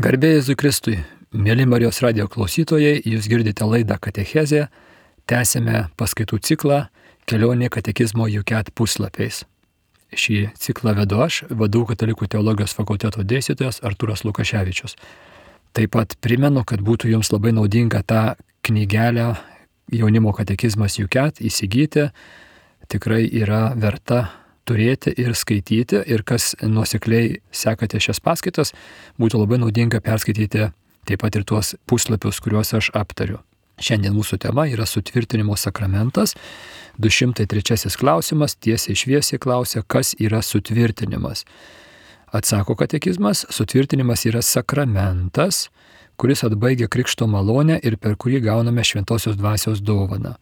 Garbė Jėzui Kristui, mėly Marijos radijo klausytojai, jūs girdite laidą Katechezė, tęsėme paskaitų ciklą Kelionė katekizmo UCAT puslapiais. Šį ciklą vedu aš, VDU Katalikų teologijos fakulteto dėstytojas Artūras Lukaševičius. Taip pat primenu, kad būtų jums labai naudinga tą knygelę Jaunimo katekizmas UCAT įsigyti, tikrai yra verta turėti ir skaityti, ir kas nuosekliai sekate šias paskaitas, būtų labai naudinga perskaityti taip pat ir tuos puslapius, kuriuos aš aptariu. Šiandien mūsų tema yra sutvirtinimo sakramentas. 203 klausimas tiesiai šviesiai klausia, kas yra sutvirtinimas. Atsako katekizmas, sutvirtinimas yra sakramentas, kuris atbaigia krikšto malonę ir per kurį gauname šventosios dvasios dovaną.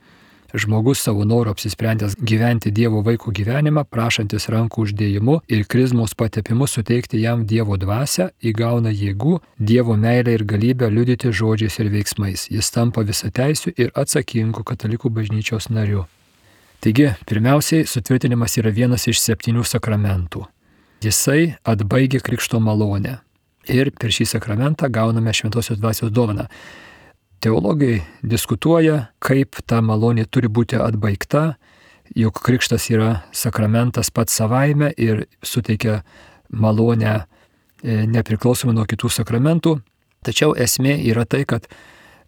Žmogus savo noru apsisprendęs gyventi Dievo vaiko gyvenimą, prašantis rankų uždėjimu ir krizmos patepimu suteikti jam Dievo dvasią, įgauna jėgų, Dievo meilę ir galybę liudyti žodžiais ir veiksmais. Jis tampa visateisiu ir atsakingu katalikų bažnyčios nariu. Taigi, pirmiausiai, sutvirtinimas yra vienas iš 7 sakramentų. Jisai atbaigia krikšto malonę ir per šį sakramentą gauname šventosios dvasios dovaną. Teologai diskutuoja, kaip ta malonė turi būti atbaigta, juk krikštas yra sakramentas pats savaime ir suteikia malonę nepriklausomai nuo kitų sakramentų. Tačiau esmė yra tai, kad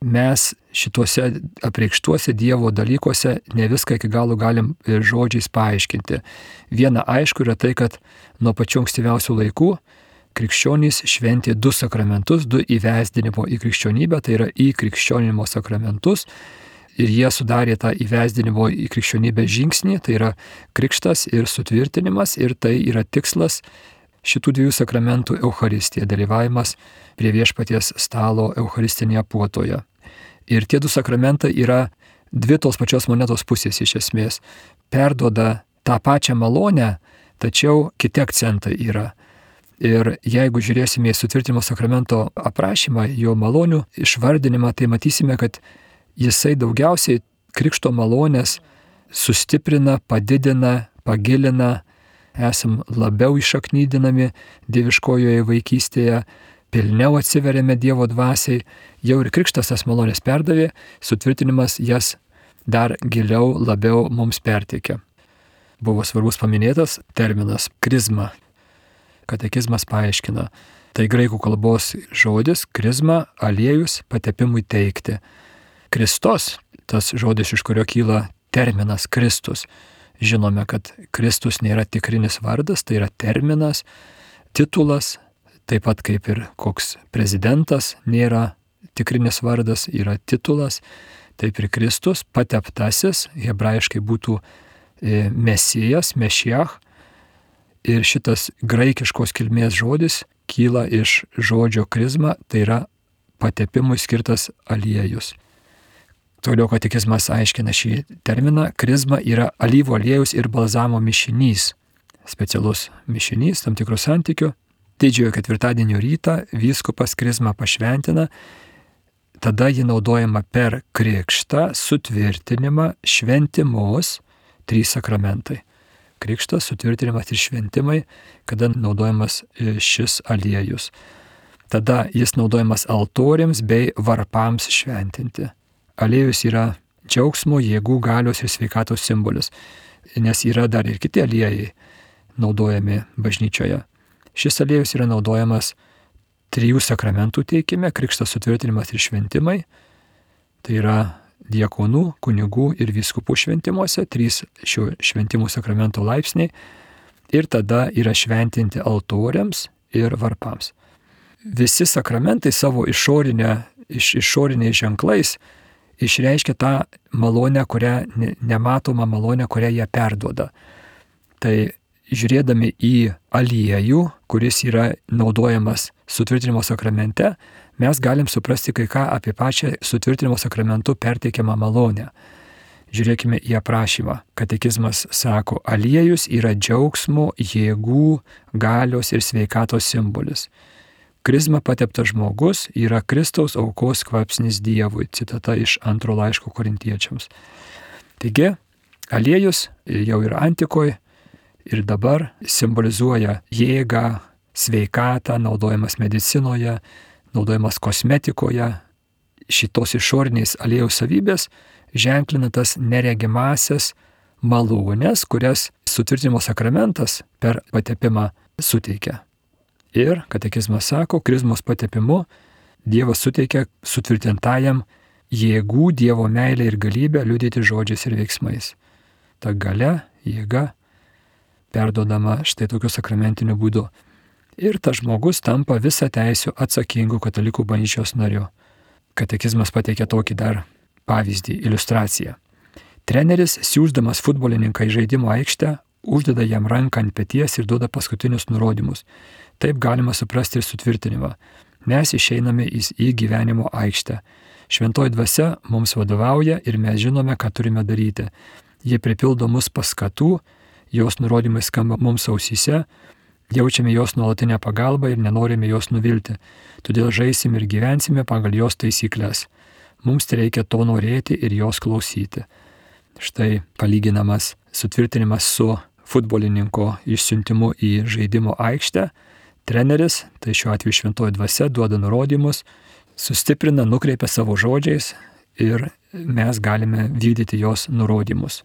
mes šituose apreikštuose Dievo dalykuose ne viską iki galo galim žodžiais paaiškinti. Viena aišku yra tai, kad nuo pačių ankstyviausių laikų krikščionys šventė 2 sakramentus, 2 įvesdinimo į krikščionybę, tai yra įkrikščionimo sakramentus, ir jie sudarė tą įvesdinimo į krikščionybę žingsnį, tai yra krikštas ir sutvirtinimas, ir tai yra tikslas šitų 2 sakramentų Eucharistija, dalyvavimas prie viešpaties stalo Eucharistinėje puotoje. Ir tie 2 sakramentai yra 2 tos pačios monetos pusės iš esmės. Perduoda tą pačią malonę, tačiau kiti akcentai yra. Ir jeigu žiūrėsime į sutvirtinimo sakramento aprašymą, jo malonių išvardinimą, tai matysime, kad jisai daugiausiai krikšto malonės sustiprina, padidina, pagilina, esam labiau išaknydinami dieviškojoje vaikystėje, pilniau atsiveriame Dievo dvasiai, jau ir krikštas tas malonės perdavė, sutvirtinimas jas dar giliau, labiau mums perteikia. Buvo svarbus paminėtas terminas krizma. Katekizmas paaiškina. Tai graikų kalbos žodis krizma, aliejus, patepimui teikti. Kristos, tas žodis, iš kurio kyla terminas Kristus. Žinome, kad Kristus nėra tikrinis vardas, tai yra terminas, titulas, taip pat kaip ir koks prezidentas nėra tikrinis vardas, yra titulas, taip ir Kristus, pateptasis, hebrajiškai būtų mesijas, mešiach. Ir šitas graikiškos kilmės žodis kyla iš žodžio krizma, tai yra patepimui skirtas aliejus. Toliau katekizmas aiškina šį terminą. Krizma yra alyvų aliejus ir balzamo mišinys. Specialus mišinys, tam tikrų santykių. Didžiojo ketvirtadienio rytą vyskupas krizmą pašventina, tada ji naudojama per krikštą, sutvirtinimą, šventimus, 3 sakramentai. Krikštas, sutvirtinimas ir šventimai, kada naudojamas šis aliejus. Tada jis naudojamas altoriams bei varpams šventinti. Aliejus yra džiaugsmo, jėgų, galios ir sveikatos simbolis, nes yra dar ir kiti aliejai naudojami bažnyčioje. Šis aliejus yra naudojamas 3 sakramentų teikime, krikštas, sutvirtinimas ir šventimai. Tai yra diakonų, kunigų ir vyskupų šventimuose, 3 šių šventimų sakramento laipsniai, ir tada yra šventinti altoriams ir varpams. Visi sakramentai savo išoriniais ženklais išreiškia tą malonę, nematomą malonę, kurią jie perduoda. Tai žiūrėdami į aliejų, kuris yra naudojamas sutvirtinimo sakramente, mes galim suprasti kai ką apie pačią sutvirtinimo sakramentu perteikiamą malonę. Žiūrėkime į aprašymą. Katekizmas sako, aliejus yra džiaugsmo, jėgų, galios ir sveikatos simbolis. Krizma pateptas žmogus yra Kristaus aukos kvapsnis Dievui. Citata iš 2 laiško Korintiečiams. Taigi, aliejus jau ir antikoje ir dabar simbolizuoja jėgą, sveikatą, naudojamas medicinoje, naudojamas kosmetikoje, šitos išorinės aliejaus savybės ženklina tas neregimasias malonės, kurias sutvirtinimo sakramentas per patepimą suteikia. Ir katekizmas sako, krizmos patepimu Dievas suteikia sutvirtintajam jėgų, Dievo meilę ir galybę liudyti žodžiais ir veiksmais. Ta galia, jėga perduodama štai tokiu sakramentiniu būdu. Ir tas žmogus tampa visą teisių atsakingų katalikų bažnyčios nariu. Katekizmas pateikia tokį dar pavyzdį, iliustraciją. Treneris, siųsdamas futbolininką į žaidimo aikštę, uždeda jam ranką ant peties ir duoda paskutinius nurodymus. Taip galima suprasti ir sutvirtinimą. Mes išeiname į gyvenimo aikštę. Šventoji dvasia mums vadovauja ir mes žinome, ką turime daryti. Jie pripildo mus paskatų, jos nurodymai skamba mums ausyse, jaučiame jos nuolatinę pagalbą ir nenorime jos nuvilti. Todėl žaisim ir gyvensime pagal jos taisyklės. Mums reikia to norėti ir jos klausyti. Štai palyginamas sutvirtinimas su futbolininko išsiuntimu į žaidimo aikštę. Treneris, tai šiuo atveju šventoji dvasia, duoda nurodymus, sustiprina, nukreipia savo žodžiais ir mes galime vykdyti jos nurodymus.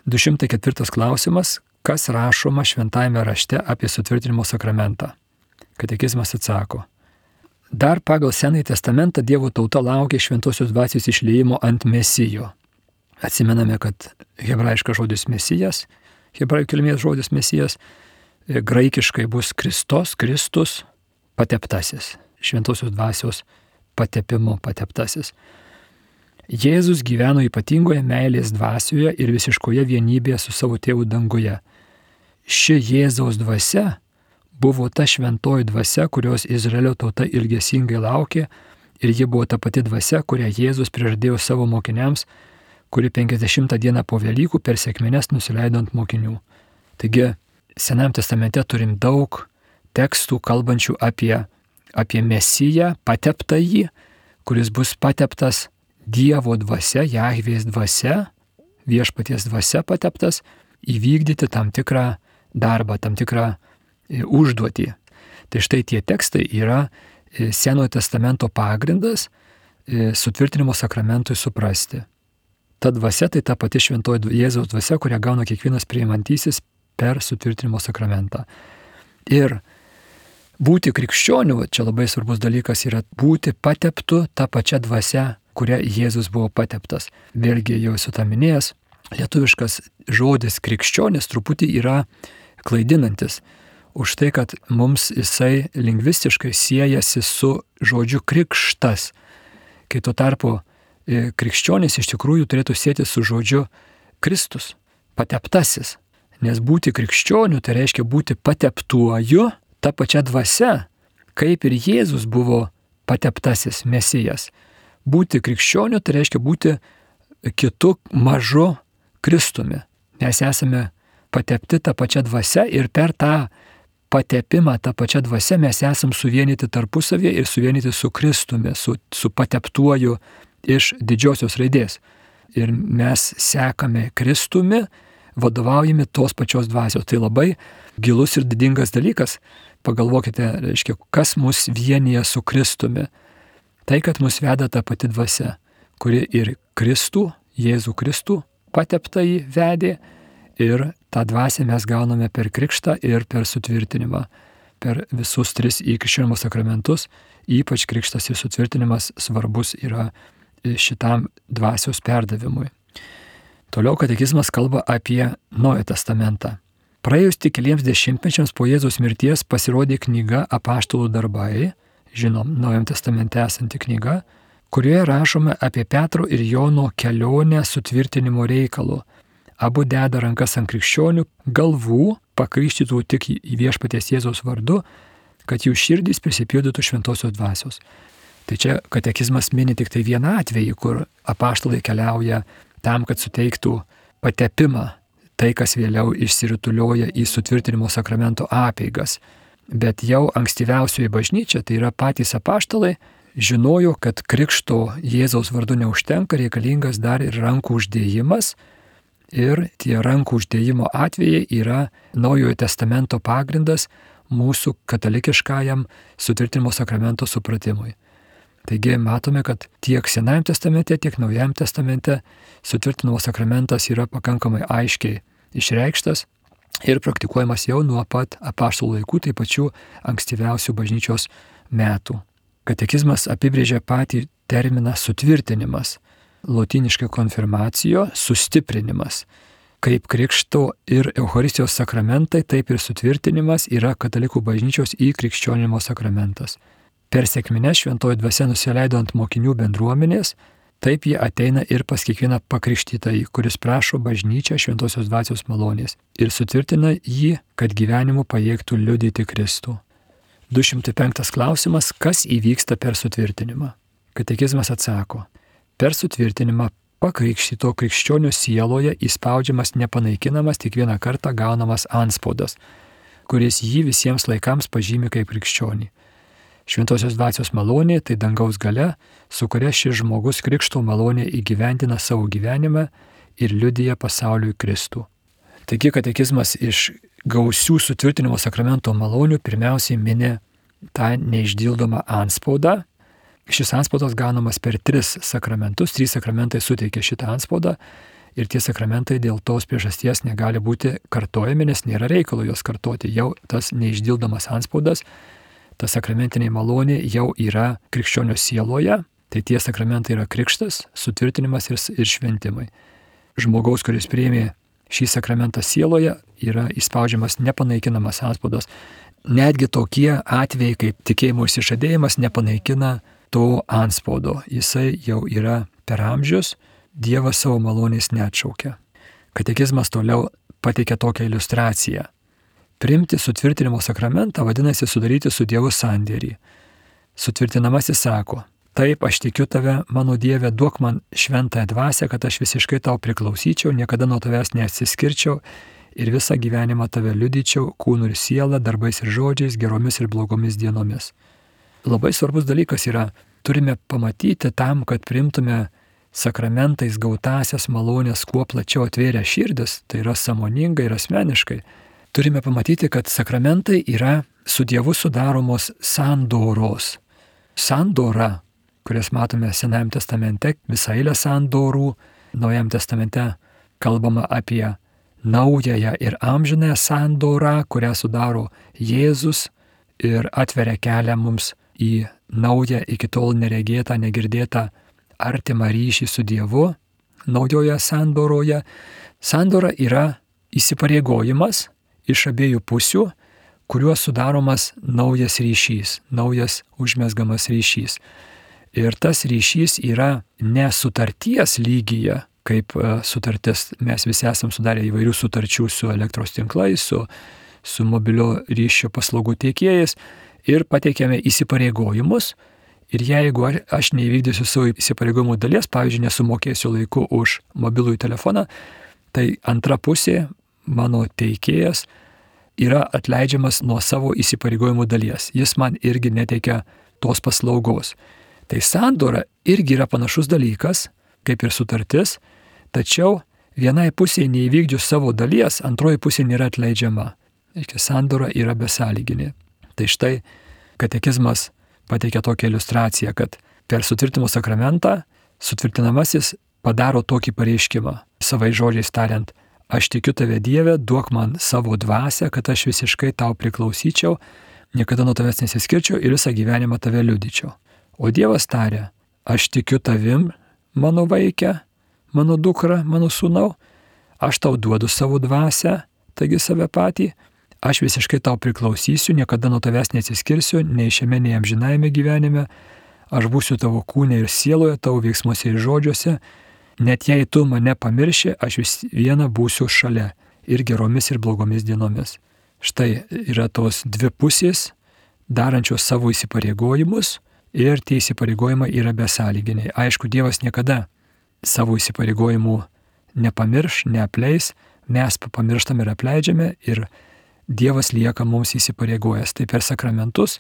204 klausimas. Kas rašoma šventajame rašte apie sutvirtinimo sakramentą? Katekizmas atsako. Dar pagal Senąjį testamentą Dievo tauta laukia šventosios dvasios išliejimo ant Mesijo. Atsimename, kad hebrajiškas žodis Mesijas, hebrajų kilmės žodis Mesijas, graikiškai bus Kristus, pateptasis, šventosios dvasios patepimu pateptasis. Jėzus gyveno ypatingoje meilės dvasioje ir visiškoje vienybėje su savo tėvu danguje. Ši Jėzaus dvasia buvo ta šventoji dvasia, kurios Izraelio tauta ilgesingai laukė, ir ji buvo ta pati dvasia, kurią Jėzus prižadėjo savo mokiniams, kuri 50 dieną po Velykų per sekmines nusileido ant mokinių. Taigi, Senajam testamente turim daug tekstų kalbančių apie Mesiją, pateptąjį, kuris bus pateptas Dievo dvasia, Jahvės dvasia, viešpaties dvasia pateptas, įvykdyti tam tikrą darbą, tam tikrą užduotį. Tai štai tie tekstai yra Senojo testamento pagrindas sutvirtinimo sakramentui suprasti. Ta dvasia tai ta pati šventoji Jėzaus dvasia, kurią gauna kiekvienas priimantysis per sutvirtinimo sakramentą. Ir būti krikščioniu, čia labai svarbus dalykas yra būti pateptu tą pačią dvasią, kuria Jėzus buvo pateptas. Vėlgi jau esu tą minėjęs, lietuviškas žodis krikščionis truputį yra klaidinantis. Už tai, kad mums jisai lingvistiškai siejasi su žodžiu krikštas. Kai tuo tarpu krikščionis iš tikrųjų turėtų sieti su žodžiu Kristus, pateptasis. Nes būti krikščioniu tai reiškia būti pateptuoju tą pačią dvasią, kaip ir Jėzus buvo pateptasis Mesijas. Būti krikščioniu tai reiškia būti kitu mažu Kristumi. Mes esame patepti tą pačią dvasią ir per tą patepimą tą pačią dvasią mes esam suvienyti tarpusavėje ir suvienyti su Kristumi, su pateptuoju iš didžiosios raidės. Ir mes sekame Kristumi, vadovaujami tos pačios dvasios. Tai labai gilus ir didingas dalykas. Pagalvokite, reiškia, kas mus vienyje su Kristumi. Tai, kad mus veda ta pati dvasia, kuri ir Kristų, Jėzų Kristų pateptąjį vedė, ir tą dvasią mes gauname per krikštą ir per sutvirtinimą. Per visus 3 įkrikščionimo sakramentus, ypač krikštas ir sutvirtinimas svarbus yra šitam dvasios perdavimui. Toliau katekizmas kalba apie Naują testamentą. Praėjus tik keliems dešimtmečiams po Jėzaus mirties pasirodė knyga Apaštalų darbai, žinom, Naujam testamente esanti knyga, kurioje rašome apie Petro ir Jono kelionę sutvirtinimo reikalu. Abu deda rankas ant krikščionių galvų, pakrikštytų tik į viešpaties Jėzaus vardu, kad jų širdys prisipildytų šventosios dvasios. Tai čia katekizmas mini tik tai vieną atvejį, kur apaštalai keliauja tam, kad suteiktų patepimą, tai, kas vėliau išsirutulioja į sutvirtinimo sakramento apeigas. Bet jau ankstyviausioji bažnyčia, tai yra patys apaštalai, žinojo, kad krikšto Jėzaus vardu neužtenka, reikalingas dar ir rankų uždėjimas. Ir tie rankų uždėjimo atvejai yra Naujojo testamento pagrindas mūsų katalikiškajam sutvirtinimo sakramento supratimui. Taigi matome, kad tiek Senajame testamente, tiek Naujajame testamente sutvirtinimo sakramentas yra pakankamai aiškiai išreikštas ir praktikuojamas jau nuo pat apaštalų laikų, tai pačių ankstyviausių bažnyčios metų. Katekizmas apibrėžia patį terminą sutvirtinimas, lotyniškai konfirmacijo, sustiprinimas. Kaip krikšto ir Eucharistijos sakramentai, taip ir sutvirtinimas yra katalikų bažnyčios įkrikščionimo sakramentas. Per sekmines šventoji dvasia nusileido ant mokinių bendruomenės, taip jie ateina ir pas kiekvieną pakrikštytąjį, kuris prašo bažnyčią šventosios dvasios malonės ir sutvirtina jį, kad gyvenimu pajėgtų liudyti Kristų. 205 klausimas, kas įvyksta per sutvirtinimą? Katekizmas atsako, per sutvirtinimą pakrikštyto krikščionio sieloje įspaudžiamas nepanaikinamas tik vieną kartą gaunamas antspaudas, kuris jį visiems laikams pažymi kaip krikščionį. Šventosios dvasios malonė tai dangaus galia, su kuria šis žmogus krikšto malonė įgyvendina savo gyvenimą ir liudija pasauliui Kristų. Taigi katekizmas iš gausių sutvirtinimo sakramento malonių pirmiausiai mini tą neišdildomą antspaudą. Šis antspaudas gaunamas per 3 sakramentus, 3 sakramentai suteikia šitą antspaudą ir tie sakramentai dėl tos priežasties negali būti kartojami, nes nėra reikalo juos kartoti. Jau tas neišdildomas antspaudas, ta sakramentinė malonė jau yra krikščionio sieloje, tai tie sakramentai yra krikštas, sutvirtinimas ir šventimai. Žmogaus, kuris priėmė šį sakramentą sieloje, yra įspaudžiamas nepanaikinamas antspaudas. Netgi tokie atvejai kaip tikėjimo išsižadėjimas nepanaikina to antspaudo. Jisai jau yra per amžius, Dievas savo malonės neatšaukia. Katekizmas toliau pateikia tokią iliustraciją. Priimti sutvirtinimo sakramentą vadinasi sudaryti su Dievu sandėrį. Sutvirtinamasis sako, taip, aš tikiu tave, mano Dieve, duok man šventąją dvasią, kad aš visiškai tau priklausyčiau, niekada nuo tavęs neatsiskirčiau ir visą gyvenimą tave liudyčiau, kūnu ir siela, darbais ir žodžiais, geromis ir blogomis dienomis. Labai svarbus dalykas yra, turime pamatyti tam, kad priimtume sakramentais gautasias malonės kuo plačiau atvėrę širdis, tai yra sąmoningai ir asmeniškai. Turime pamatyti, kad sakramentai yra su Dievu sudaromos sandoros. Sandora, kurias matome Senajame testamente, visą eilę sandorų, Naujajame testamente kalbama apie naująją ir amžinąją sandorą, kurią sudaro Jėzus ir atveria kelią mums į naują, iki tol neregėtą, negirdėtą artimą ryšį su Dievu. Naujoje sandoroje sandora yra įsipareigojimas iš abiejų pusių, kuriuo sudaromas naujas ryšys, naujas užmezgamas ryšys. Ir tas ryšys yra ne sutarties lygyje, kaip sutartis, mes visi esam sudarę įvairių sutarčių su elektros tinklais, su mobilio ryšio paslaugų teikėjais ir pateikėme įsipareigojimus. Ir jeigu aš neįvykdysiu savo įsipareigojimų dalies, pavyzdžiui, nesumokėsiu laiku už mobilųjį telefoną, tai antra pusė, mano teikėjas, yra atleidžiamas nuo savo įsipareigojimų dalies. Jis man irgi neteikia tos paslaugos. Tai sandora irgi yra panašus dalykas, kaip ir sutartis, tačiau vienai pusė neįvykdžius savo dalies, antroji pusė nėra atleidžiama. Sandora yra besąlyginė. Tai štai katekizmas pateikia tokią iliustraciją, kad per sutvirtinimo sakramentą sutvirtinamasis padaro tokį pareiškimą, savai žodžiais tariant, aš tikiu tave Dieve, duok man savo dvasią, kad aš visiškai tau priklausyčiau, niekada nuo tavęs nesiskirčiau ir visą gyvenimą tave liudyčiau. O Dievas taria, aš tikiu tavim, mano vaike, mano dukra, mano sūnau, aš tau duodu savo dvasią, taigi save patį, aš visiškai tau priklausysiu, niekada nuo tavęs neatsiskirsiu, nei šiame, nei amžinajame gyvenime, aš būsiu tavo kūne ir sieloje, tavo veiksmuose ir žodžiuose, net jei tu mane pamirši, aš vis viena būsiu šalia ir geromis ir blogomis dienomis. Štai yra tos dvi pusės, darančios savo įsipareigojimus ir tie įsipareigojimai yra besąlyginiai. Aišku, Dievas niekada savo įsipareigojimų nepamirš, neapleis, mes pamirštam ir apleidžiame ir Dievas lieka mums įsipareigojęs. Tai per sakramentus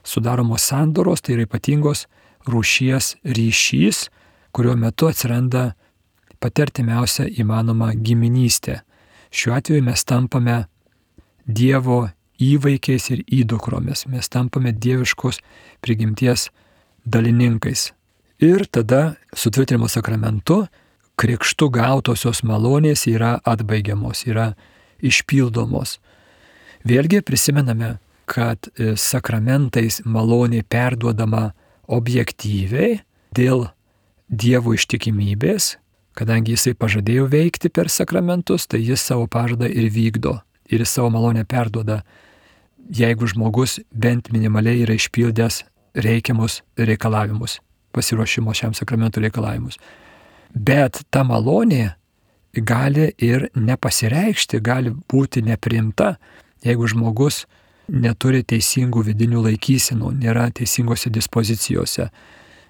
sudaromos sandoros, tai yra ypatingos rūšies ryšys, kurio metu atsiranda pati artimiausia įmanoma giminystė. Šiuo atveju mes tampame Dievo įvaikiais ir įdukromis. Mes tampame dieviškos prigimties dalininkais. Ir tada sutvirtinimo sakramentu krikštu gautosios malonės yra atbaigiamos, yra išpildomos. Vėlgi prisimename, kad sakramentais malonė perduodama objektyviai dėl Dievo ištikimybės, kadangi jisai pažadėjo veikti per sakramentus, tai jis savo pažadą ir vykdo. Ir jis savo malonę perduoda, jeigu žmogus bent minimaliai yra išpildęs reikiamus reikalavimus, pasiruošimo šiam sakramentų reikalavimus. Bet ta malonė gali ir nepasireikšti, gali būti nepriimta, jeigu žmogus neturi teisingų vidinių laikysenų, nėra teisingose dispozicijose.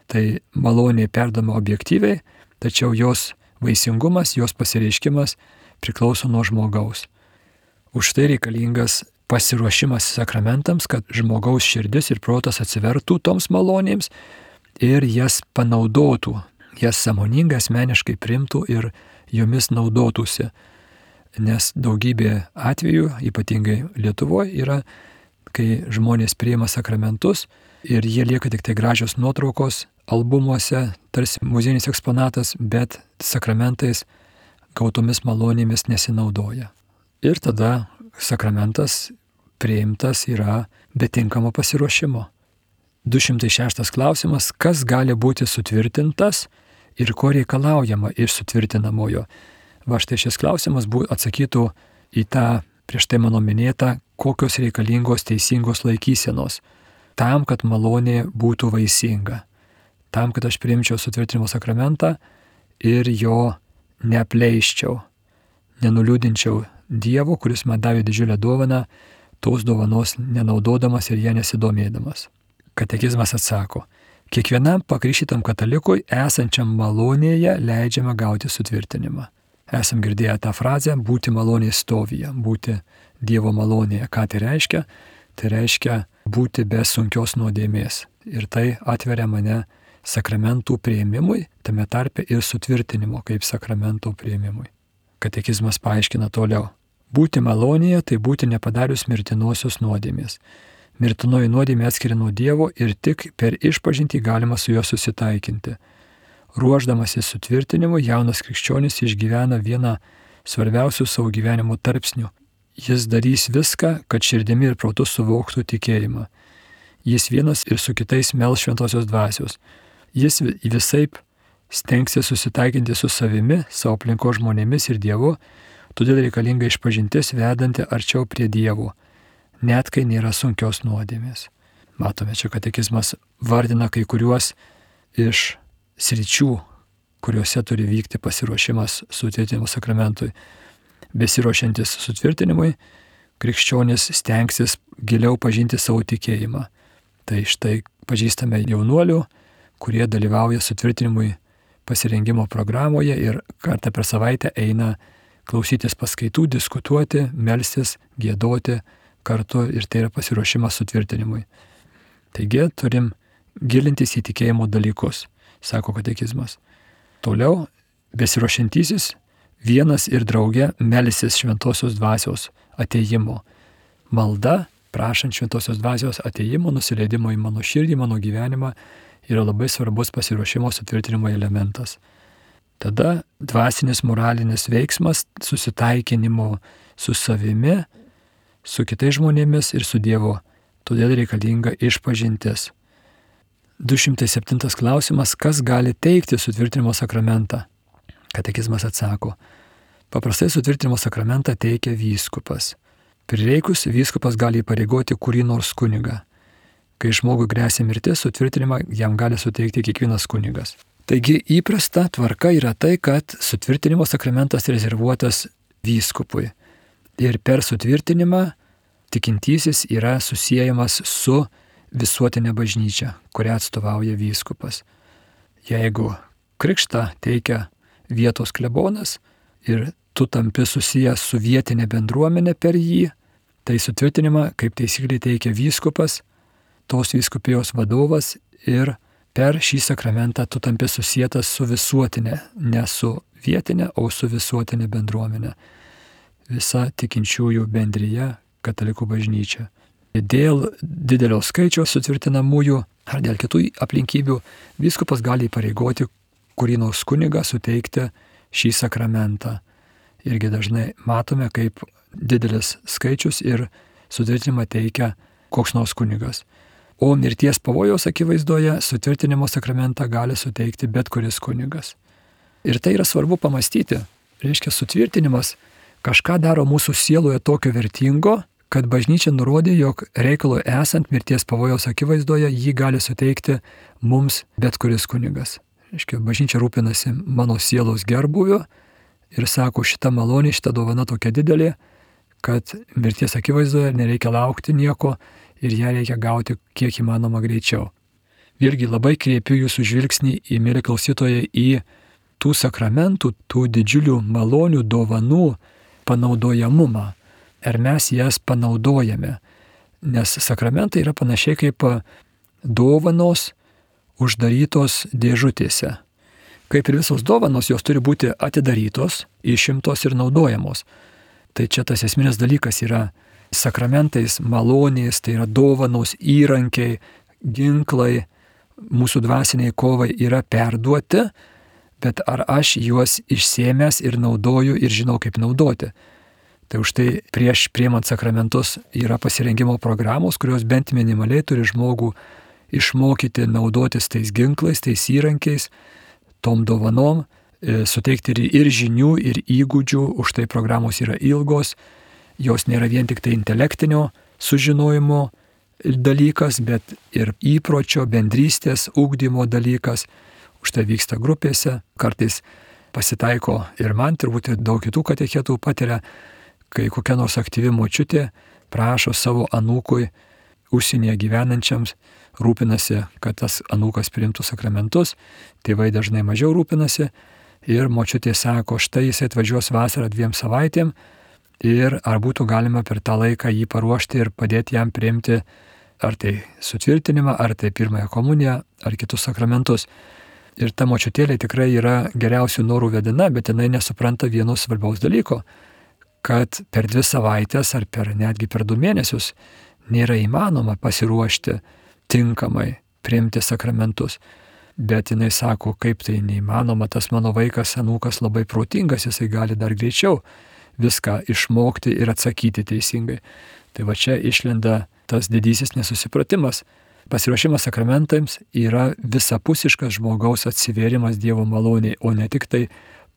Tai malonė perdama objektyviai, tačiau jos vaisingumas, jos pasireiškimas priklauso nuo žmogaus. Už tai reikalingas pasiruošimas sakramentams, kad žmogaus širdis ir protas atsivertų toms malonėms ir jas panaudotų, jas sąmoningai asmeniškai priimtų ir jomis naudotųsi. Nes daugybė atvejų, ypatingai Lietuvoje, yra, kai žmonės priima sakramentus ir jie lieka tik tai gražios nuotraukos albumuose, tarsi muziejinis eksponatas, bet sakramentais gautomis malonėmis nesinaudoja. Ir tada sakramentas priimtas yra be tinkamo pasiruošimo. 206 klausimas, kas gali būti sutvirtintas ir ko reikalaujama iš sutvirtinamojo. Va štai šis klausimas atsakytų į tą prieš tai mano minėtą, kokios reikalingos teisingos laikysenos, tam, kad malonė būtų vaisinga, tam, kad aš priimčiau sutvirtinimo sakramentą ir jo neapleiščiau, nenuliūdinčiau Dievo, kuris man davė didžiulę dovaną, tos dovanos nenaudodamas ir ją nesidomėdamas. Katekizmas atsako, kiekvienam pakrikštytam katalikui esančiam malonėje leidžiama gauti sutvirtinimą. Esam girdėję tą frazę būti malonės stovyje, būti Dievo malonėje. Ką tai reiškia? Tai reiškia būti be sunkios nuodėmės. Ir tai atveria mane sakramentų priėmimui, tame tarpe ir sutvirtinimo kaip sakramento priėmimui. Katekizmas paaiškina toliau. Būti malonėje tai būti nepadarius mirtinosios nuodėmės. Mirtinoji nuodėmė atskiria nuo Dievo ir tik per išpažintį galima su juo susitaikinti. Ruošdamasis sutvirtinimu, jaunas krikščionis išgyvena vieną svarbiausių savo gyvenimo tarpsnių. Jis darys viską, kad širdimi ir protu suvoktų tikėjimą. Jis vienas ir su kitais mels šventosios dvasios. Jis visaip stengsis susitaikinti su savimi, savo aplinkos žmonėmis ir Dievu, todėl reikalinga išpažintis vedanti arčiau prie Dievo, net kai nėra sunkios nuodėmės. Matome, čia katekizmas vardina kai kuriuos iš sričių, kuriuose turi vykti pasiruošimas sutvirtinimo sakramentui. Besiruošiantis sutvirtinimui, krikščionis stengsis giliau pažinti savo tikėjimą. Tai štai pažįstame jaunuolių, kurie dalyvauja sutvirtinimui pasirengimo programoje ir kartą per savaitę eina klausytis paskaitų, diskutuoti, melstis, giedoti kartu ir tai yra pasiruošimas sutvirtinimui. Taigi turim gilintis į tikėjimo dalykus, sako katekizmas. Toliau, besiruošiantysis vienas ir drauge melsis šventosios dvasios atėjimo. Malda, prašant šventosios dvasios atėjimo, nusileidimo į mano širdį, mano gyvenimą, yra labai svarbus pasiruošimo sutvirtinimo elementas. Tada dvasinis moralinis veiksmas susitaikinimo su savimi, su kitais žmonėmis ir su Dievu. Todėl reikalinga išpažintis. 207 klausimas, kas gali teikti sutvirtinimo sakramentą? Katekizmas atsako, paprastai sutvirtinimo sakramentą teikia vyskupas. Prireikus vyskupas gali įpareigoti kurį nors kunigą. Kai žmogui gresia mirtis, sutvirtinimą jam gali suteikti kiekvienas kunigas. Taigi įprasta tvarka yra tai, kad sutvirtinimo sakramentas rezervuotas vyskupui. Ir per sutvirtinimą tikintysis yra susiejamas su visuotinė bažnyčia, kurią atstovauja vyskupas. Jeigu krikštą teikia vietos klebonas ir tu tampi susijęs su vietinė bendruomenė per jį, tai sutvirtinimą kaip taisyklė teikia vyskupas, tos vyskupijos vadovas ir per šį sakramentą tu tampi susietas su visuotinė, ne su vietinė, o su visuotinė bendruomenė. Visa tikinčiųjų bendryje katalikų bažnyčia. Dėl didelio skaičiaus sutvirtinamųjų ar dėl kitų aplinkybių vyskupas gali įpareigoti kurį nors kunigą suteikti šį sakramentą. Irgi dažnai matome, kaip didelis skaičius ir sutvirtinimą teikia koks nors kunigas. O mirties pavojaus akivaizdoje sutvirtinimo sakramentą gali suteikti bet kuris kunigas. Ir tai yra svarbu pamastyti. Reiškia, sutvirtinimas kažką daro mūsų sieloje tokio vertingo, kad bažnyčia nurodė, jog reikalui esant mirties pavojaus akivaizdoje jį gali suteikti mums bet kuris kunigas. Reiškia, bažnyčia rūpinasi mano sielos gerbuviu ir sako, šita malonė, šita dovana tokia didelė, kad mirties akivaizdoje nereikia laukti nieko ir ją reikia gauti kiek įmanoma greičiau. Vėlgi labai kreipiu jūsų žvilgsnį į, mieli klausytojai, į tų sakramentų, tų didžiulių malonių, dovanų panaudojamumą. Ar mes jas panaudojame? Nes sakramentai yra panašiai kaip dovanos uždarytos dėžutėse. Kaip ir visos dovanos, jos turi būti atidarytos, išimtos ir naudojamos. Tai čia tas esminis dalykas yra sakramentais, malonės, tai yra dovanos, įrankiai, ginklai, mūsų dvasiniai kovai yra perduoti, bet ar aš juos išsėmęs ir naudoju ir žinau, kaip naudoti. Tai už tai prieš priimant sakramentus yra pasirengimo programos, kurios bent minimaliai turi žmogų išmokyti naudotis tais ginklais, tais įrankiais, tom dovanom, suteikti ir žinių, ir įgūdžių, už tai programos yra ilgos, jos nėra vien tik tai intelektinio sužinojimo dalykas, bet ir įpročio, bendrystės, ugdymo dalykas, už tai vyksta grupėse, kartais pasitaiko ir man, turbūt ir daug kitų katechetų patiria, kai kokia nors aktyvi močiutė prašo savo anūkui užsienyje gyvenančiams, rūpinasi, kad tas anūkas priimtų sakramentus, tėvai dažnai mažiau rūpinasi ir močiutė sako, štai jisai atvažiuos vasarą 2 savaitėm ir ar būtų galima per tą laiką jį paruošti ir padėti jam priimti ar tai sutvirtinimą, ar tai pirmąją komuniją, ar kitus sakramentus. Ir ta močiutėlė tikrai yra geriausių norų vedina, bet jinai nesupranta vieno svarbaus dalyko, kad per 2 savaitės ar netgi per 2 mėnesius nėra įmanoma pasiruošti tinkamai priimti sakramentus. Bet jinai sako, kaip tai neįmanoma, tas mano vaikas, anūkas labai protingas, jisai gali dar greičiau viską išmokti ir atsakyti teisingai. Tai va čia išlenda tas didysis nesusipratimas. Pasiruošimas sakramentams yra visapusiškas žmogaus atsivėrimas Dievo maloniai, o ne tik tai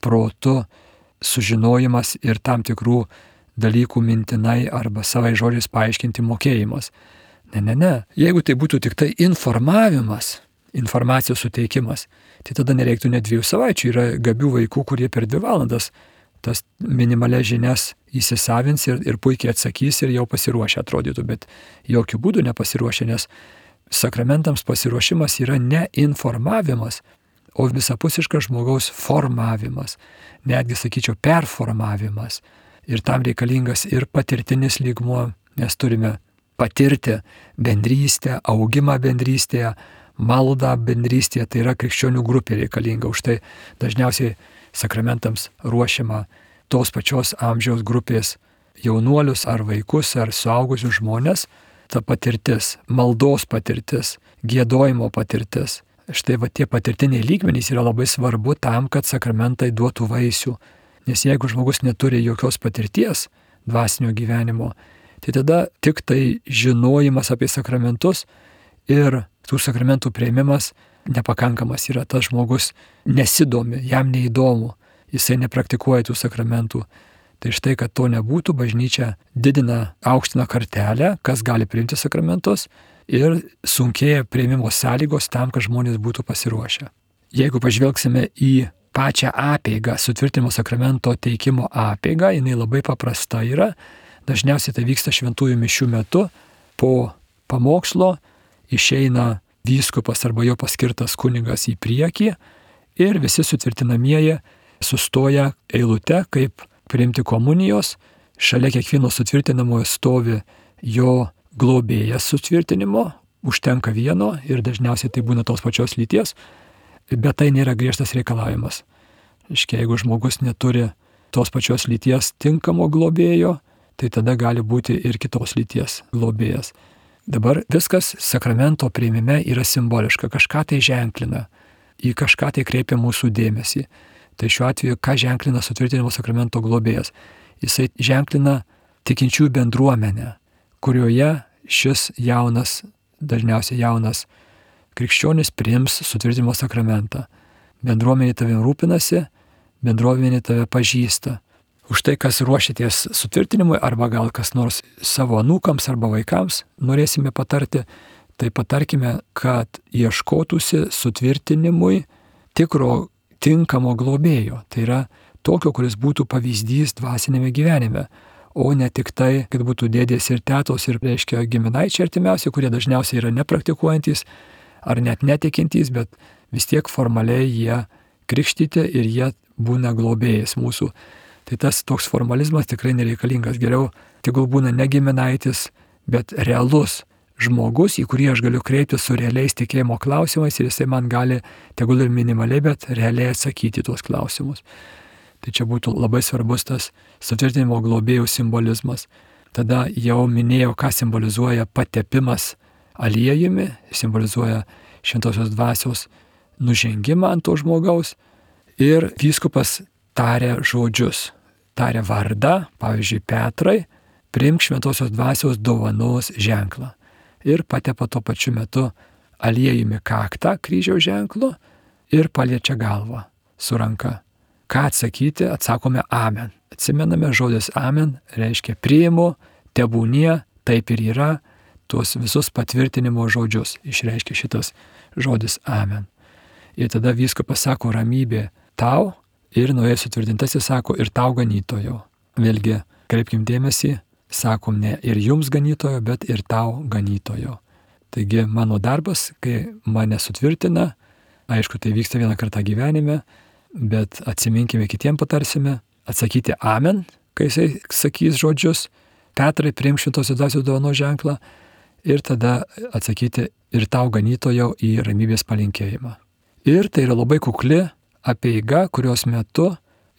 protu sužinojimas ir tam tikrų dalykų mintinai arba savai žodžiais paaiškinti mokėjimas. Ne. Jeigu tai būtų tik tai informavimas, informacijos suteikimas, tai tada nereiktų net 2 savaičių. Yra gabių vaikų, kurie per 2 valandas tas minimalias žinias įsisavins ir puikiai atsakys ir jau pasiruošę atrodytų, bet jokių būdų nepasiruošę, nes sakramentams pasiruošimas yra ne informavimas, o visapusiškas žmogaus formavimas, netgi sakyčiau performavimas. Ir tam reikalingas ir patirtinis lygmuo, nes turime patirti bendrystę, augimą bendrystėje, maldą bendrystėje, tai yra krikščionių grupė reikalinga. Už tai dažniausiai sakramentams ruošiama tos pačios amžiaus grupės jaunuolius ar vaikus ar suaugusius žmonės, ta patirtis, maldos patirtis, giedojimo patirtis. Štai va tie patirtiniai lygmenys yra labai svarbu tam, kad sakramentai duotų vaisių. Nes jeigu žmogus neturi jokios patirties dvasinio gyvenimo, tai tada tik tai žinojimas apie sakramentus ir tų sakramentų priėmimas nepakankamas yra. Tas žmogus nesidomi, jam neįdomu, jisai nepraktikuoja tų sakramentų. Tai štai, kad to nebūtų, bažnyčia didina, aukština kartelę, kas gali priimti sakramentus ir sunkėja priėmimo sąlygos tam, kad žmonės būtų pasiruošę. Jeigu pažvelgsime į pačią apeigą, sutvirtinimo sakramento teikimo apeigą, jinai labai paprasta yra. Dažniausiai tai vyksta šventųjų mišių metu, po pamokslo išeina vyskupas arba jo paskirtas kunigas į priekį ir visi sutvirtinamieji sustoja eilute, kaip priimti komunijos. Šalia kiekvieno sutvirtinamojo stovi jo globėjas sutvirtinimo, užtenka vieno ir dažniausiai tai būna tos pačios lyties, bet tai nėra griežtas reikalavimas. Jeigu žmogus neturi tos pačios lyties tinkamo globėjo, tai tada gali būti ir kitos lyties globėjas. Dabar viskas sakramento priėmime yra simboliška, kažką tai ženklina, į kažką tai kreipia mūsų dėmesį. Tai šiuo atveju, ką ženklina sutvirtinimo sakramento globėjas? Jisai ženklina tikinčiųjų bendruomenę, kurioje šis jaunas, dažniausiai jaunas krikščionis priims sutvirtinimo sakramentą. Bendruomenė tavim rūpinasi, bendruomenė tave pažįsta. Už tai, kas ruošiatės sutvirtinimui, arba gal kas nors savo anūkams arba vaikams norėsime patarti, tai patarkime, kad ieškotųsi sutvirtinimui tikro, tinkamo globėjo. Tai yra tokio, kuris būtų pavyzdys dvasinėme gyvenime, o ne tik tai, kad būtų dėdės ir tetos ir, reiškia, giminaičiai artimiausi, kurie dažniausiai yra nepraktikuojantys ar net netikintys, bet vis tiek formaliai jie krikštyti ir jie būna globėjais mūsų. Tai tas toks formalizmas tikrai nereikalingas. Geriau tegul būna ne giminaitis, bet realus žmogus, į kurį aš galiu kreiptis su realiais tikėjimo klausimais ir jisai man gali, tegul ir minimaliai, bet realiai atsakyti tuos klausimus. Tai čia būtų labai svarbus tas sutvirtinimo globėjų simbolizmas. Tada jau minėjau, ką simbolizuoja patepimas aliejumi, simbolizuoja šventosios dvasios nužengimą ant to žmogaus ir vyskupas taria žodžius, taria vardą, pavyzdžiui, Petrai, priimk šventosios dvasios dovanos ženklą. Ir patepa tuo pačiu metu aliejumi kaktą kryžiaus ženklu ir paliečia galvą su ranka. Ką atsakyti? Atsakome amen. Atsimename, žodis amen reiškia priimu, tebūnie, taip ir yra, tuos visus patvirtinimo žodžius išreiškia šitas žodis amen. Ir tada vyskupas sako ramybė tau, ir naujas sutvirtintasis sako ir tau ganytojo. Vėlgi, kreipkim dėmesį, sakom ne ir jums ganytojo, bet ir tau ganytojo. Taigi mano darbas, kai mane sutvirtina, aišku, tai vyksta vieną kartą gyvenime, bet atsiminkime, kitiem patarsime, atsakyti amen, kai jisai sakys žodžius, Petrai, priimk šventosios dvasios dovanos ženklą, ir tada atsakyti ir tau ganytojo į ramybės palinkėjimą. Ir tai yra labai kukli apeiga, kurios metu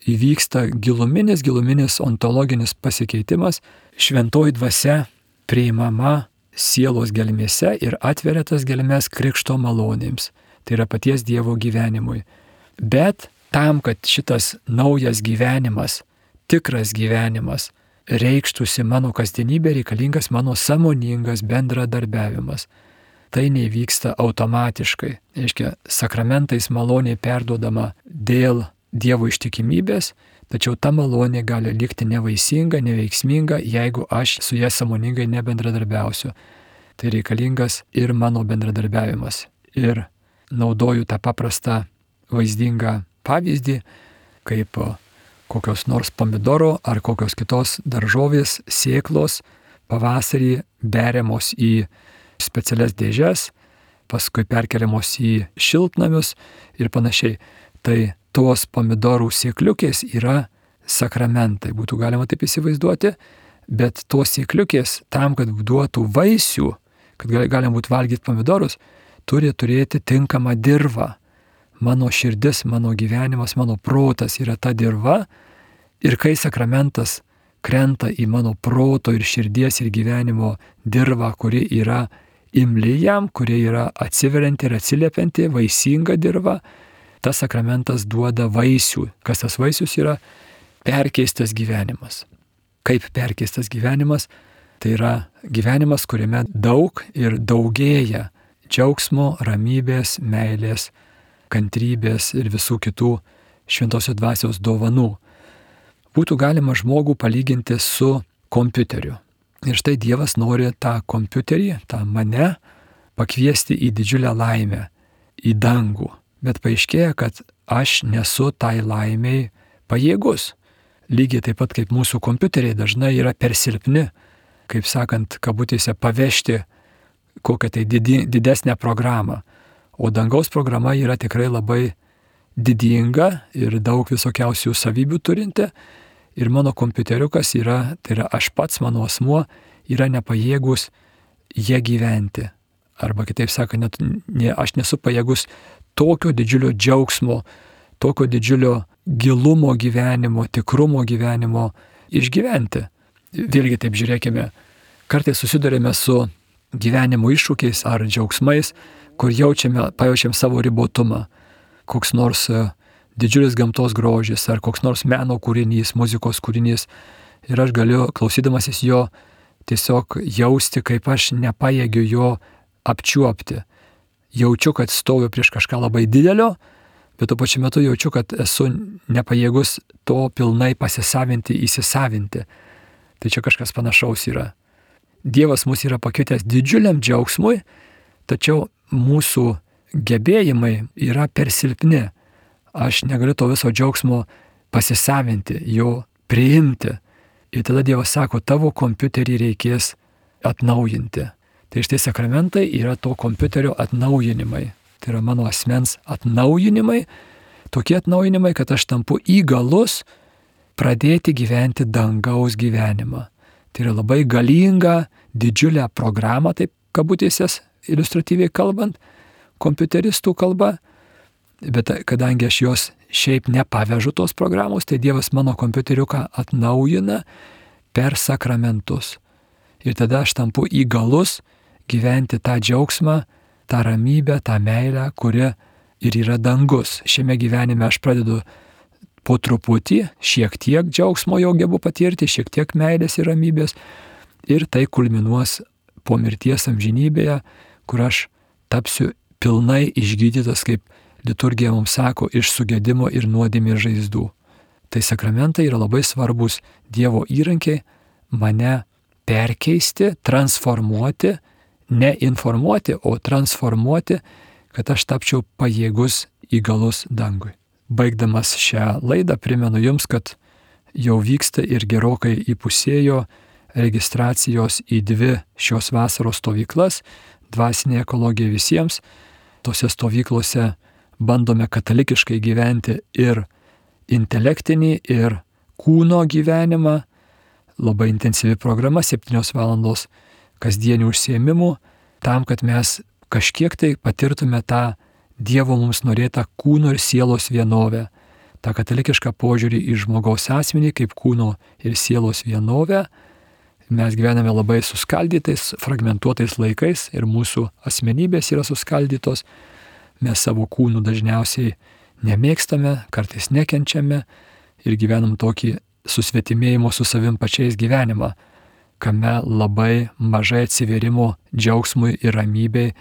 įvyksta giluminis ontologinis pasikeitimas, šventoji dvasia priimama sielos gelmėse ir atveria tas gelmes krikšto malonėms. Tai yra paties Dievo gyvenimui. Bet tam, kad šitas naujas gyvenimas, tikras gyvenimas, reikštųsi mano kasdienybė, reikalingas mano sąmoningas bendradarbiavimas. Tai nevyksta automatiškai. Reiškia, sakramentais malonė perduodama dėl Dievo ištikimybės, tačiau ta malonė gali likti nevaisinga, neveiksminga, jeigu aš su ja sąmoningai nebendradarbiausiu. Tai reikalingas ir mano bendradarbiavimas. Ir naudoju tą paprastą vaizdingą pavyzdį, kaip kokios nors pomidoro ar kokios kitos daržovės sėklos pavasarį beriamos į specialias dėžes, paskui perkeliamos į šiltnamius ir panašiai. Tai tos pomidorų sėkliukės yra sakramentai, būtų galima taip įsivaizduoti, bet tos sėkliukės tam, kad duotų vaisių, kad galima būtų valgyti pomidorus, turi turėti tinkamą dirvą. Mano širdis, mano gyvenimas, mano protas yra ta dirva ir kai sakramentas krenta į mano proto ir širdies ir gyvenimo dirvą, kuri yra imli jam, kuri yra atsiverianti ir atsiliepianti, vaisinga dirva, tas sakramentas duoda vaisių. Kas tas vaisius yra? Perkeistas gyvenimas. Kaip perkeistas gyvenimas? Tai yra gyvenimas, kuriame daug ir daugėja džiaugsmo, ramybės, meilės, kantrybės ir visų kitų šventosios dvasios dovanų. Būtų galima žmogų palyginti su kompiuteriu. Ir štai Dievas nori tą kompiuterį, tą mane, pakviesti į didžiulę laimę, į dangų. Bet paaiškėja, kad aš nesu tai laimiai pajėgus. Lygiai taip pat kaip mūsų kompiuteriai dažnai yra per silpni, kaip sakant, kabutėse pavežti kokią tai didesnę programą. O dangaus programa yra tikrai labai didinga ir daug visokiausių savybių turinti. Ir mano kompiuteriukas yra, tai yra aš pats, mano asmuo, yra nepajėgus jie gyventi. Arba kitaip sakant, aš nesu pajėgus tokio didžiulio džiaugsmo, tokio didžiulio gilumo gyvenimo, tikrumo gyvenimo išgyventi. Vėlgi taip žiūrėkime, kartais susidurėme su gyvenimo iššūkiais ar džiaugsmais, kur pajaučiam savo ribotumą. Koks nors didžiulis gamtos grožis ar koks nors meno kūrinys, muzikos kūrinys. Ir aš galiu, klausydamasis jo, tiesiog jausti, kaip aš nepajėgiu jo apčiuopti. Jaučiu, kad stoviu prieš kažką labai didelio, bet tuo pačiu metu jaučiu, kad esu nepajėgus to pilnai pasisavinti, įsisavinti. Tai čia kažkas panašaus yra. Dievas mus yra pakvietęs didžiuliam džiaugsmui, tačiau mūsų gebėjimai yra per silpni. Aš negaliu to viso džiaugsmo pasisavinti, jo priimti. Ir tada Dievas sako, tavo kompiuterį reikės atnaujinti. Tai štai sakramentai yra to kompiuterio atnaujinimai. Tai yra mano asmens atnaujinimai, tokie atnaujinimai, kad aš tampu įgalus pradėti gyventi dangaus gyvenimą. Tai yra labai galinga, didžiulė programa, taip kabutėsės iliustratyviai kalbant, kompiuteristų kalba, bet kadangi aš jos šiaip nepavežu tos programos, tai Dievas mano kompiuteriuką atnaujina per sakramentus. Ir tada aš tampu įgalus gyventi tą džiaugsmą, tą ramybę, tą meilę, kuri ir yra dangus. Šiame gyvenime aš pradedu po truputį, šiek tiek džiaugsmo jau gebu patirti, šiek tiek meilės ir ramybės. Ir tai kulminuos po mirties amžinybėje, kur aš tapsiu pilnai išgydytas, kaip liturgija mums sako, iš sugedimo ir nuodėmės žaizdų. Tai sakramentai yra labai svarbus Dievo įrankiai mane perkeisti, transformuoti, ne informuoti, o transformuoti, kad aš tapčiau pajėgus įgalus dangui. Baigdamas šią laidą primenu jums, kad jau vyksta ir gerokai įpusėjo registracijos į 2 šios vasaros stovyklas, dvasinė ekologija visiems. Tose stovyklose bandome katalikiškai gyventi ir intelektinį, ir kūno gyvenimą. Labai intensyvi programa, 7 valandos kasdienių užsiėmimų, tam, kad mes kažkiek tai patirtume tą Dievo mums norėtą kūno ir sielos vienovę, tą katalikišką požiūrį į žmogaus asmenį kaip kūno ir sielos vienovę. Mes gyvename labai suskaldytais, fragmentuotais laikais ir mūsų asmenybės yra suskaldytos. Mes savo kūnų dažniausiai nemėgstame, kartais nekenčiame ir gyvenam tokį susvetimėjimo su savim pačiais gyvenimą, kame labai mažai atsivėrimo džiaugsmui ir ramybei,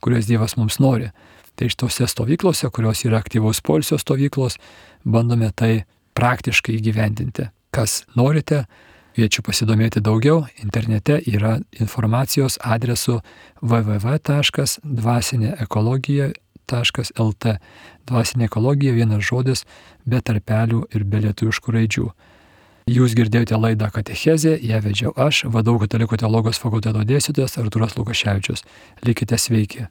kurios Dievas mums nori. Tai iš tose stovyklose, kurios yra aktyvaus poilsio stovyklos, bandome tai praktiškai įgyvendinti. Kas norite, kviečiu pasidomėti daugiau. Internete yra informacijos adresu www.dvasinėekologija.lt. Dvasinė ekologija, vienas žodis, be tarpelių ir be lietuviškų raidžių. Jūs girdėjote laidą Katechezė, ją vedžiau aš, VDU Katalikų teologijos fakulteto dėstytojas Artūras Lukaševičius. Likite sveiki.